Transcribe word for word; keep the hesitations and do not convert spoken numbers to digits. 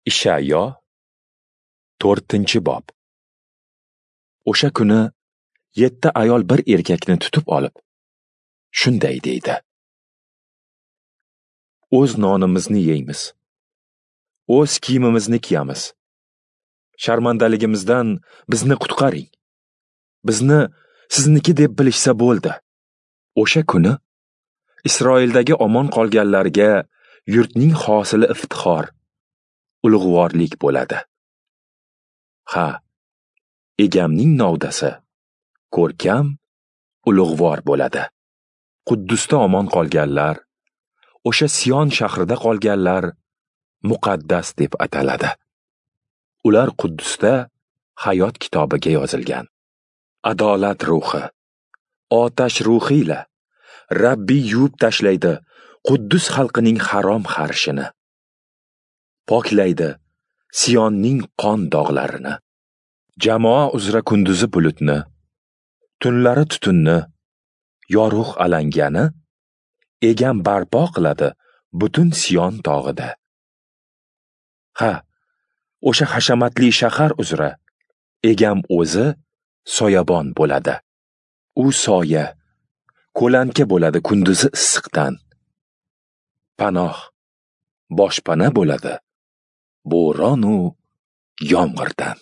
Ishayo to'rtinchi bob. O'sha kuni yetti ayol bir erkakni tutib olib, shunday deydi: O'z nonimizni yeymiz, o'z kiyimimizni kiyamiz. Sharmandaligimizdan bizni qutqaring. Bizni sizniki deb bilishsa bo'ldi. O'sha kuni Isroildagi omon qolganlarga yurtning hosili iftixor, ulug'vorlik bo'ladi. Ha, egamning novdasi ko'rkam, ulug'vor bo'ladi. Quddusda omon qolganlar, o'sha Sion shahrida qolganlar muqaddas deb ataladi. Ular Quddusda hayot kitobiga yozilgan. Adolat ruhi, otash ruhi ila Rabbi yuvib tashlaydi Quddus xalqining harom xarishini. Poklaydi Sionning qon dog'larini. Jamoa uzra kunduzi bulutni, tunlari tutunni, yorug' alangani egam barpo qiladi butun Sion tog'ida. Ha, o'sha hashamatli shahar uzra egam o'zi soyabon bo'ladi. U soya, ko'lanka bo'ladi kunduzi issiqdan. Panoh, boshpana bo'ladi bo'ron u yomg'irdan.